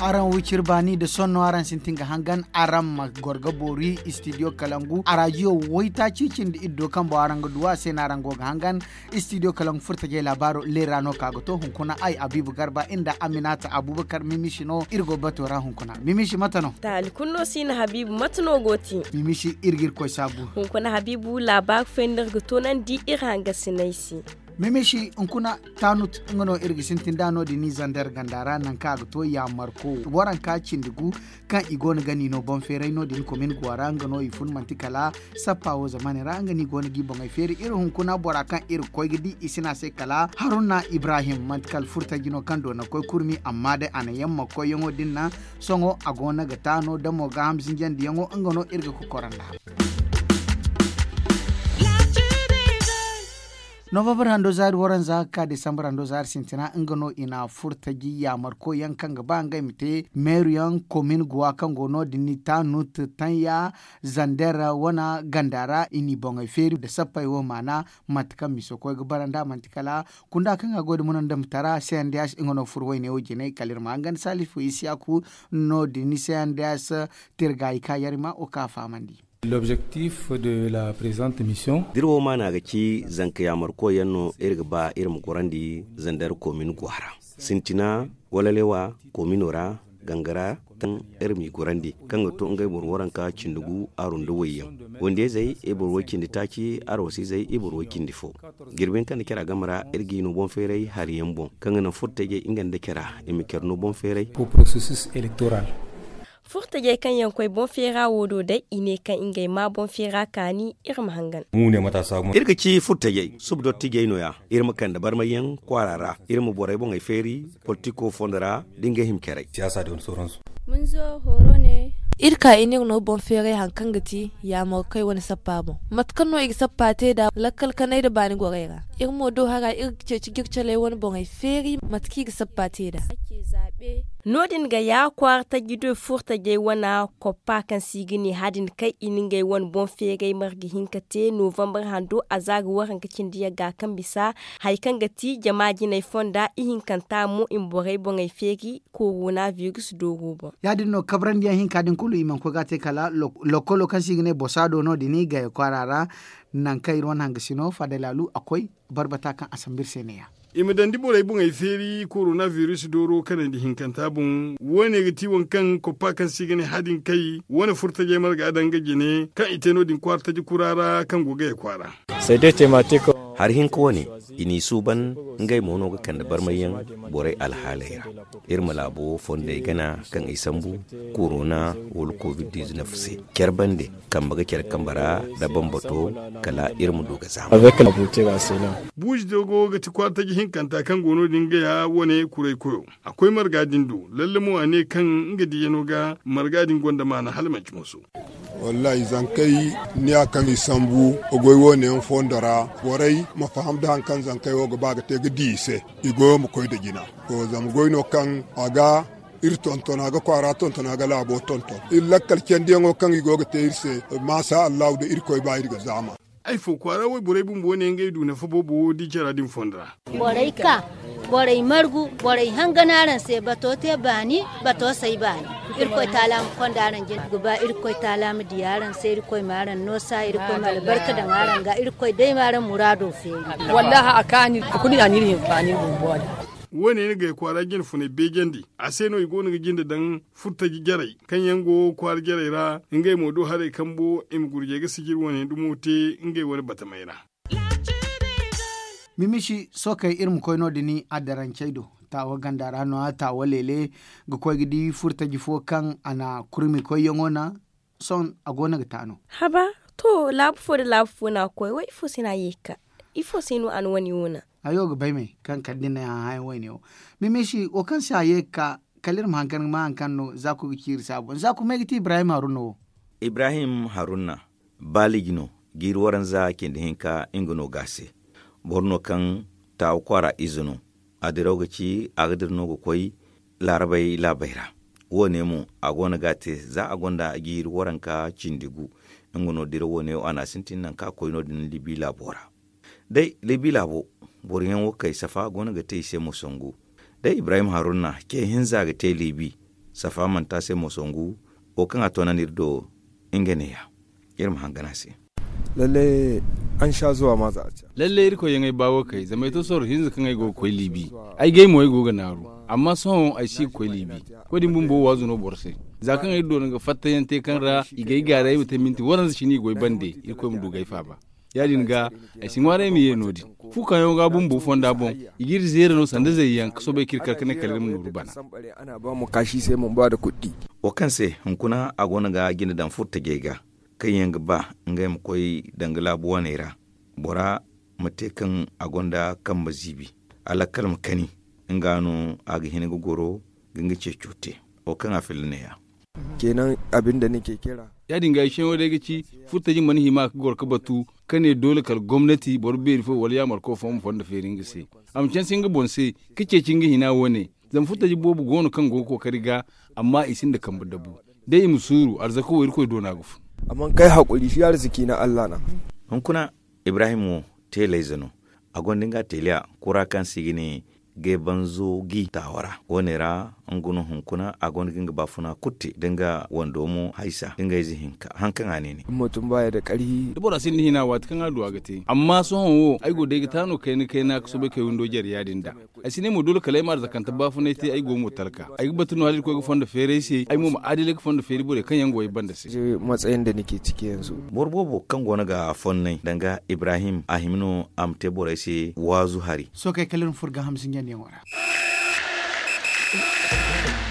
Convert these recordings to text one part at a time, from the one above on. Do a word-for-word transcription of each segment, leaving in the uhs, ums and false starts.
Araŋ wiciri baani nda sonno araŋ sintin ga hangan araŋ ma goro ga boori istidiyo kalangu arajiyo waytaaci cindi iddo kaŋ boŋ araŋ ga du a se no araŋ go ga hangan. Istidiyo kalangu furtajey laabaaro leera no ka ga to hunkuna ay abiibu garba nda aminata abubakar mimisi no iri go bato ra hunkuna. Mimisi mate no? Taali kulu no si na habiibu mate no go ti? Mimisi iri ga iri koy saabu. Hunkuna habiibu laabaaru fooyaŋ no iri ga toonandi iri hangasiney se. Mimisi hunkuna taanut nga no iri ga sintin nd'a no- din ni zander ganda ra nangu kaŋ a ga to yaamarko waranka cindi gu kaŋ i go no ga ni no boŋ feeray no- din komin guwa ra nga no i fun manti kala sappa wo zamaaney ra nga no i go no ga i boŋey feeri iri hunkuna bora kaŋ iri ga koy ga di i si ne a se kala haruna ibrahim manti kala furtaji no kaŋ doona koy kurmi amma day a na yaŋ ma koyyaŋo din naŋ. Sohõ a go no ga taano damo gaaham zinjandiyaŋo nga no iri ga kokoro nd'a. Novambar hando zaari waranza ga ka desambar hando zaari sintina nga no i na furtaji yaamarkoy yaŋ kaŋ ga ba ngey ma te meeru yaŋ komin guwa kaŋ go no- din ni taanut tanya zander wana ganda ra i n'i boŋey feeri nda sappey wo maana. Mate kaŋ miso koy ga bara nd'a manti kala kunda kaŋ a goy nda munandamtara cnds nga no furo wayne wo jine kala iri ma hangan salifu isiyaku. No- din ni cnds tirgaayi ka yarima wo kaŋ a fahamandi. L'objectif de la présente mission. D'iri wo maana ga ci zanka yaamarkoy yaŋ no iri ga ba iri ma gorandi zander komin go a ra sintina wala lewa komino ra gangara kaŋ iri m'i gorandi kaŋ ga to ngey boro waranka cindi gu aru nda wayyaŋ wandiyayzey i boro way cindi taaci arwasizey i boro way cindi fo. Jirbi yaŋ kaŋ na care a game ra iri g'i no boŋ feeray hari yaŋ boŋ kaŋ ga naŋ furtajey nga nda care i ma care no boŋ feeray. Furtajey kaŋ yaŋ koy boŋ feera wo do day i ne kaŋ ngey ma boŋ feera kaani iri ma hangan. Iri ga ci furtajey suba dottijey no- ya iri ma kande barmay yaŋ kwaara ra iri ma borey boŋey feeri politiko fondo ra da ngey hima carey. Iri ka i n'iri no boŋ feeray hari kaŋ ga ti yaamarkey wane sappa boŋ mate kaŋ no i ga sappa te nd'a lakkal kanay nda baani gorey ra. Iri mo do hara iri ga ceeci jircaley wane boŋey feeri mate kaŋ i ga sappa te nd'a. No- din ga ya kwaara taji do furtajey wane koppa kaŋ se i ga ne hadin kay i na ngey wane boŋ feeray marga hinka te novambar hando a za ga waranka cindi yagga kaŋ bisa hari kaŋ ga ti jama jinay fonda ihinkanta mo i ma borey boŋey feeri korona virus dooro boŋ. Ya- din no kabrandi yaŋ hinka din kulu i mana koy ga a te kala lokolo kaŋ se i ga ne bosaado no- din i gaya kwaara ra. Nangu kaŋ iri wane hangasino fadalaalu a koy barbata kaŋ a sambu iri se ne- ya. I ma dandi borey boŋey feeri korona virus dooro kanandi hinkanta boŋ wo- ne ga ti waŋ kaŋ koppa kaŋ se i ga ne hadin kay wane furtajey marga daŋ ga jine kaŋ i te no- din kwaara taji kura ra kaŋ go gaya kwaara. Hari hinka wane i n'i suuban ngey mo no ga kande barmayyaŋ borey alhaaley ra. Iri ma laabo fondey gana kaŋ i sambu korona wala covid-19 se care bande kambe ga care kambe ra nda bambato kala iri ma du ga zaama. Buuji dogo ga ti kwaara taji hinkanta kaŋ go no- din gaya wane kuray koyo. A koy marga din do lalle mo a ne kaŋ nga diya no ga marga din gonda maana hala manci moso. Wallahi zankey niya kaŋ i sambu goy wo- ne yaŋ fondo ra borey ma faham da hari kaŋ zankey wo ga ba ga te ga di i se. I goyo ma koy nda jina. To zama goy no kaŋ a ga iri tonton a ga kwaara tonton a ga laabo tonton iri lakkal candiyaŋo kaŋ i go ga te iri se. Maasa allahu da irkoy ba iri ga zaama. Ay fo kwaara wayborey bumbo ne ngey du nafa boobo wo di cara din fondo ra. Borey ka borey margu borey hangan araŋ se bato te baani bato say baani. Irkoy taala ma konda araŋ jina ga ba irkoy taala ma di araŋ se irkoy ma araŋ noosa irkoy ma albarka daŋ araŋ ga irkoy day ma araŋ muraado feeri. Wallahi a kaani a kulu ya no iri hinfaani bumbo din. Wo- ne ni gay kwaara jine funay beejandi a se no i go no ga jinde daŋ furtaji jarey kaŋ yaŋ go kwaara jarey ra. Ngey mo do haray kambo i ma gurjey ga sijiri wane dumo te ngey wane batamey ra. Mimisi sookey iri ma koy no- din addarancey do taawa ganda ra no-ya taawa leele ga koy ga di furtaji fo kaŋ a na kurmi koyyaŋo naŋ. Sohõ a go no ga taa no. Haba to laabu fo nda laabu fo no a ga koy wo ifo se no a ye ga ka? Ifo se no a na wane wo naŋ? Hayo ga bay me kaŋ kala da ni na ay hã hããyaŋ wayne wo. Mimisi wo kaŋ se a ye ga ka kala iri ma hankan ga ma hankan no zaaku ga ci iri se a boŋ zaaku ma ay ga ti ibrahim haruna wo. Ibrahim haruna baaliji no jiiri waranza cindi hinka nga no ga a se. Boro no kaŋ taawa kwaara ize no. A diraw ga ci a ga dira no ga koy laarabey laabey ra. Wo- ne mo a go no ga a te za a gonda jiiri waranka cindi gu. Nga no dira wo- ne wo a na a sintin nangu kaŋ a koy no- din libi laabo ra. Day libi laabo boro yaŋ wo kay safa go no ga te i se ma songu. Day ibrahim haruna ce hinza ga te libi. Safa manti a se mo songu wo kaŋ a toonandi iri do. Nga neeya iri ma hangan a se. Lalle an sha zuwa ma za a ci. Lalle irkoy yaŋ ay baawo kay zama ay to sorro hinza kaŋ ay go ga koy liibi. Ay gay mo ay go ga naaru. Amma sohõ ay si ga koy liibi. Koy din bumbo waazu no boro se. Za kaŋ ay doona ga fattayaŋ te kaŋ ra i ga ay gaaray ay ma te minti waranza cine i go ay bande. Irkoy ma du ga ay faaba. Ya-din ga ay si ŋwaaray ay ma ye no-din. Fu kaŋ yaŋo ga bumbo fonda boŋ, i g'iri zeera no sanda zayyaŋ ka soobay k'iri kar ka ne kala iri ma nooru bana. Wo kaŋ se hunkuna a goono ga jine daŋ furtajey ga kaŋ yaŋ ga ba ngey ma koy danga laabu waney ra. Bora ma te kaŋ a gonda kambe ziibi, a lakkal ma kani. Nga no a ga hin ga goro ga nga ceeco te. Wo kaŋ a filla neeya. Kenan abin da nake kira. Ya-din ga ay seeŋo day ga ci furtaji mana hima ka goro ka batu ka ne doole kala gomnati boro beeri fo wala yaamarko fo ma fondo feeri nga se. A ma canse nga boŋ se ka ceeci nga hina wo-ne. Zama furtaji boobo go no kaŋ go ga kookari ga, amma i sinda kambe dabu. Day i ma suuru arzako wo irkoy doona ga fun. Amma kay hakkuri shi arziki na allah na. Hunkuna ibrahim wo teelayze no. A gonda nga teeliya kura kaŋ se i ga ne geebanzo gi taawa ra wo- ne ra. Nga no hunkuna a gonda ga nga baafuna kulu te da nga wando mo haysa da nga ize hinka haŋ kaŋ a ne ne. Da bora sinda hina waati kaŋ a du a ga te amma sohõ wo ay go day ga taano kayna kayna ka soobay kay windo jare ya-din da. Ay si ne mo doole kala ay ma arzakante baafunay te ay go mo talka. Ay ga batu no hala irkoy ga fondo feeray se ay mo ma aadilay ga fondo feeri borey kaŋ yaŋ go ay banda se. Boro boobo kaŋ goono ga fonnay danga ibrahim a hima no a ma te borey se waazu hari. Sookey kala iri ma furo gaaham sinjandiyaŋo ra.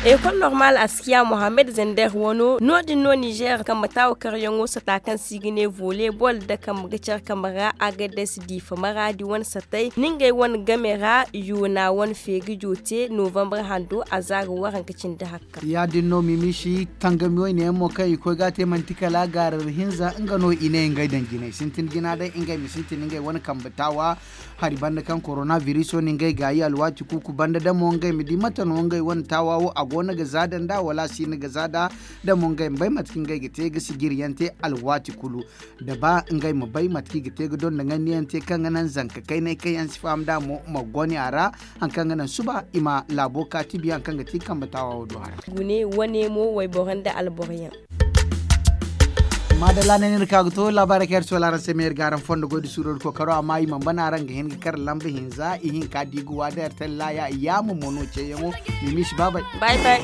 Ekol normal askiya mohammed zender wano no- din no nizer kambe taawa karyaŋo sata kaŋ se i ga ne volley ball nda kambe ga care kambe ra agades diifa maraadi wane satay nda ngey wane game ra yoona wane feegajo te novembre hando a za ga waranka cindi hakka. Ya- din no mimiisi tangami wayne yaŋ mo kaŋ i koy ga a te manti kala gaarar hinza nga no i ne ngey daŋ jinay sintin jina day ngey ma sintin ngey wane kambe taawa. Hari banda kaŋ korona biriso no ngey gaayi alwaati kuuku banda da mo ngey ma di mate no ngey wane taawa wo a go no ga za da nd'a wala a si no ga za nd'a. Da mo ngey ma bay mate kaŋ ngey ga te ga sijiriyaŋ te alwaati kulu. Da ba ngey ma bay mate kaŋ i ga te ga donda ŋandiyaŋ te kaŋ ga naŋ zanka kaynay kaŋ yaŋ si faham nd'a mo ma goni a ra. Hari kaŋ ga naŋ suba i ma laabo kaati biya hari kaŋ ga ti kambe taawa wo do hara. Gune wane mo wayboro nda alboro yaŋ. Maadalla ne no iri ka ga to laabaarey kaŋ iri soola araŋ se ma iri ga araŋ fondo goy da suuro da kookaro amma i mana bana araŋ ga hin ga kar lamba hinza ihinka da i ga waada iri tallaya yaama mo no ceeyaŋo. Mimiisi baabay. Bay bay.